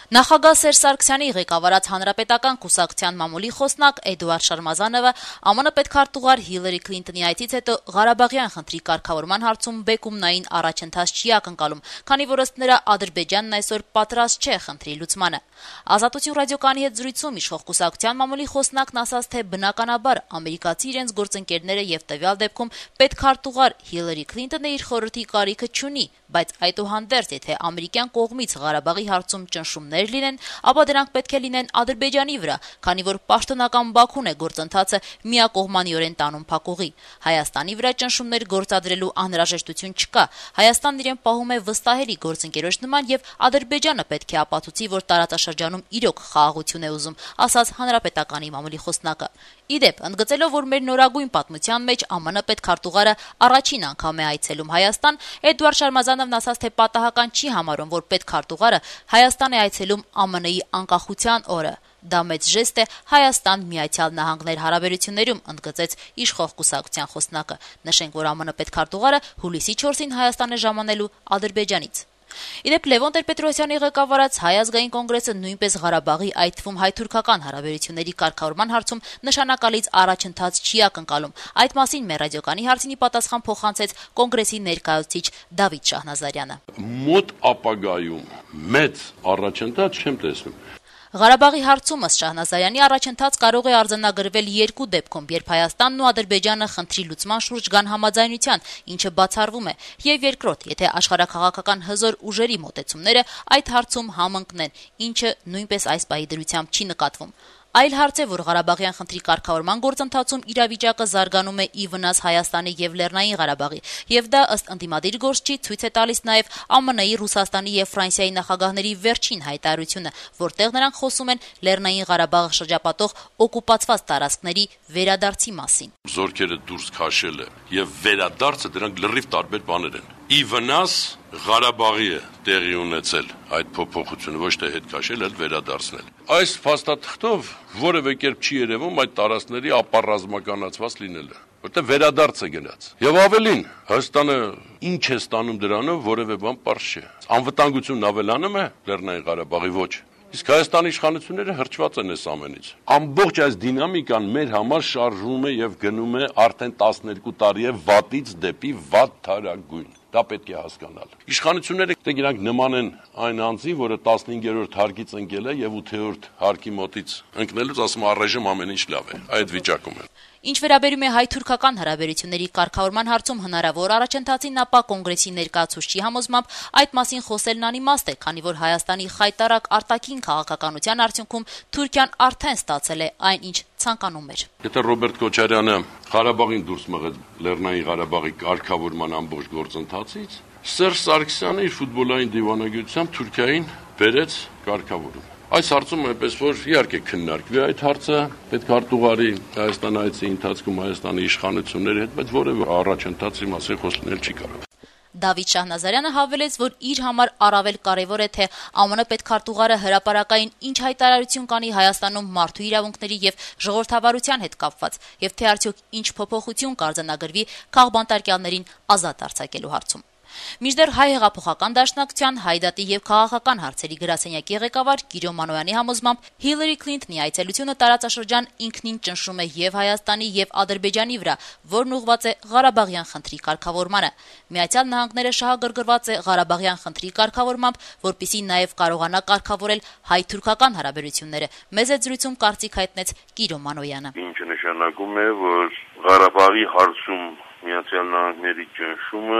Նախագահ Սերժ Սարգսյանի ղեկավարած Հանրապետական կուսակցության մամուլի խոսնակ Էդուարդ Շարմազանովը ԱՄՆ պետքարտուղար Հիլարի Քլինտոնի այցից հետո Ղարաբաղյան խնդրի կարգավորման հարցում բեկումնային առաջընթաց չի ակնկալում, քանի որ ըստ նրա Ադրբեջանն այսօր պատրաստ չէ խնդրի լուծմանը։ Ազատություն ռադիոկայանի հետ զրույցում իշխող կուսակցության մամուլի խոսնակն ասաց, թե բնականաբար ամերիկացի իրենց գործընկերները եւ տվյալ դեպքում պետքարտուղար Հիլարի Քլինտոնը իր խորհրդի կարիքը չունի, բայց այդուհանդերձ, եթե ամերիկյան կողմից Ղարաբաղի հարցում ճնշումներ լինեն, ապա դրանք պետք է լինեն Ադրբեջանի վրա, քանի որ պաշտոնական Բաքուն է գործընթացը միակողմանիորեն տանում փակուղի։ Հայաստանի վրա ճնշումներ գործադրելու անհրաժեշտություն չկա։ Հայաստանն իրեն պահում է վստահելի գործընկերոջ նման եւ Ադրբեջանը պետք է ապացուցի, որ տարածաշրջանում իրոք խաղաղություն է ուզում, ասաց Հանրապետականի մամուլի խոսնակը։ Իդեպ, ընդգծելով, որ մեր նորագույն պատմության մեջ ԱՄՆ պետքարտուղարը առաջին անգամ է այցելում Հայաստան, Էդուարդ Շարմազանովն ասաց, թե պատահական չի համարում, որ պետքարտուղարը Հայաստան է այցելում ԱՄՆ-ի անկախության օրը։ Դա մեծ ժեստ է Հայաստան-Միացյալ Նահանգներ հարաբերություններում, ընդգծեց իշխող կուսակցության խոսնակը։ Նշենք, որ ԱՄՆ պետքարտուղարը հուլիսի 4-ին Հայաստան է ժամանելու Ադրբեջանից։ Իդեպ Լևոն Տեր-Պետրոսյանի ղեկավարած Հայ ազգային կոնգրեսը նույնպես Ղարաբաղի, այդ թվում հայ-թուրքական հարաբերությունների կարգավորման հարցում նշանակալից առաջընթաց չի ակնկալում։ Այդ մասին մեր ռադիոկայանի հարցինի պատասխան փոխանցեց կոնգրեսի ներկայացուցիչ Դավիթ Շահնազարյանը։ Մոտ ապագայում մեծ առաջընթաց չեմ տեսնում։ Ղարաբաղի հարցում ըստ Շահնազարյանի առաջընթաց կարող է արձանագրվել երկու դեպքում, երբ Հայաստանն ու Ադրբեջանը խնդրի լուծման շուրջ գան համաձայնության, ինչը բացառվում է, եւ երկրորդ, եթե աշխարհաքաղաքական հզոր ուժերի մոտեցումները այդ հարցում համընկնեն, ինչը նույնպես այս պահի դրությամբ չի նկատվում։ Այլ հարց է, որ Ղարաբաղյան խնդրի կարգավորման գործընթացում իրավիճակը զարգանում է ի վնաս Հայաստանի եւ Լեռնային Ղարաբաղի, եւ դա ըստ ընդդիմադիր գործչի ցույց է տալիս նաեւ ԱՄՆ-ի, Ռուսաստանի եւ Ֆրանսիայի նախագահների վերջին հայտարարությունը, որտեղ նրանք խոսում են Լեռնային Ղարաբաղը շրջապատող օկուպացված տարածքների վերադարձի մասին։ Զորքերը դուրս քաշելը եւ վերադարձը դրանք լրիվ տարբեր բաներ են։ Ի վնաս Ղարաբաղի է տեղի ունեցել այդ փոփոխությունը, ոչ թե հետ քաշել, այլ վերադարձնել։ Այս փաստաթղթով որևէ կերպ չի երևում այդ տարածքների ապառազմականացված լինելը, որտեղ վերադարձ է գնաց։ Եվ ավելին, Հայաստանը ինչ է ստանում դրանով, որևէ բան պարզ չէ։ Անվտանգությունն ավելանում է Լեռնային Ղարաբաղի ոչ։ Իսկ Հայաստանի իշխանությունները հրճված են այս ամենից։ Ամբողջ այս դինամիկան մեր համար շարժվում է եւ գնում է արդեն 12 տարի է վատից դեպի վատ թարագույն։ Դա պետք է հասկանալ։ Իշխանությունները դրանք նման են այն անձի, որը 15-րդ հարկից ընկել է եւ 8-րդ հարկի մոտից ընկնելուց ասում առայժմ ամեն ինչ լավ է։ Այդ վիճակում է։ Ինչ վերաբերում է հայ-թուրքական հարաբերությունների կարգավորման հարցում հնարավոր առաջընթացին, ապա կոնգրեսի ներկայացուցչի համոզմամբ այդ մասին խոսելն անիմաստ է, քանի որ Հայաստանի խայտարակ արտաքին քաղաքականության արդյունքում Թուրքիան արդեն ստացել է այն, ինչ ցանկանում էր։ Եթե Ռոբերտ Քոչարյանը Ղարաբաղին դուրս մղեց Լեռնային Ղարաբաղի կարգավորման ամբողջ գործընթացից, Սերժ Սարգսյանը իր ֆուտբոլային դիվանագիտությամբ Թուրքիային բերեց կարգավորում։ Այս հարցում այնպես որ իհարկե քննարկվի այդ հարցը պետքարտուղարի Հայաստան այցի ընթացքում Հայաստանի իշխանությունների հետ, բայց որևէ առաջընթացի մասին խոսել չի կարող։ Դավիթ Շահնազարյանը հավելեց, որ իր համար առավել կարևոր է, թե ԱՄՆ պետքարտուղարը հրապարակային ինչ հայտարարություն կանի Հայաստանում մարդու իրավունքների եւ ժողովրդավարության հետ կապված, եւ թե արդյոք ինչ փոփոխություն կարձանագրվի քաղբանտարկյալներին ազատ արձակելու հարցում։ Մինչդեռ Հայ հեղափոխական դաշնակցության Հայդատի եւ քաղաքական հարցերի գրասենյակի ղեկավար Կիրո Մանոյանի համոզմամբ Հիլարի Քլինտոնի այցելությունը տարածաշրջան ինքնին ճնշում է եւ Հայաստանի եւ Ադրբեջանի վրա, որն ուղղված է Ղարաբաղյան խնդրի կարգավորմանը։ Միացյալ Նահանգները շահագրգռված է Ղարաբաղյան խնդրի կարգավորմամբ, որպիսի նաեւ կարողանա կարգավորել հայ-թուրքական հարաբերությունները։ Մեծ զրույցում կարծիք հայտնեց Կիրո Մանոյանը։ Ինչը նշանակում է, որ Ղարաբաղի հարցում Միացյալ Նահանգների ճնշումը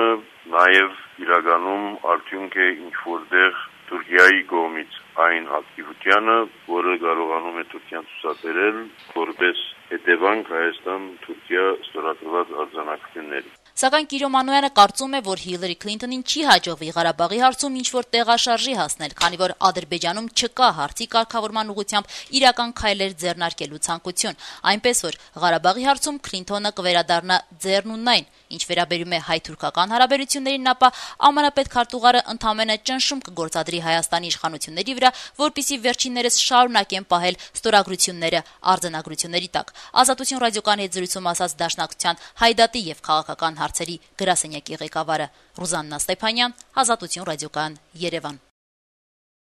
նաև իրականում արդյունք է ինչ-որտեղ Թուրքիայի կողմից այն ակտիվությանը, որը կարողանում է Թուրքիան ցուցաբերել որպես հետևանք Հայաստան-Թուրքիա ստորագրված արձանագրությունների։ Սակայն Կիրո Մանոյանը կարծում է, որ Հիլարի Քլինտոնին չի հաջողվի Ղարաբաղի հարցում ինչ-որ տեղաշարժի հասնել, քանի որ Ադրբեջանում չկա հարցի կարգավորման ուղղությամբ իրական քայլեր ձեռնարկելու ցանկություն, այնպես որ Ղարաբաղի հարցում Քլինտոնը կվերադառնա ձեռնունայն։ Ինչ վերաբերում է հայ-թուրքական հարաբերություններին, ապա ԱՄՆ պետքարտուղարը ընդամենը ճնշում կգործադրի Հայաստանի իշխանությունների վրա, որպիսի վերջիններս շարունակեն պահել ստորագրությունները արձանագրությունների տակ։ Ազատություն ռադիոկայանի հետ զրույցում ասաց Դաշնակցության Հայդատի եւ քաղաքական հարցերի գրասենյակի ղեկավարը Ռուզաննա Ստեփանյան, Ազատություն ռադիոկայան, Երևան։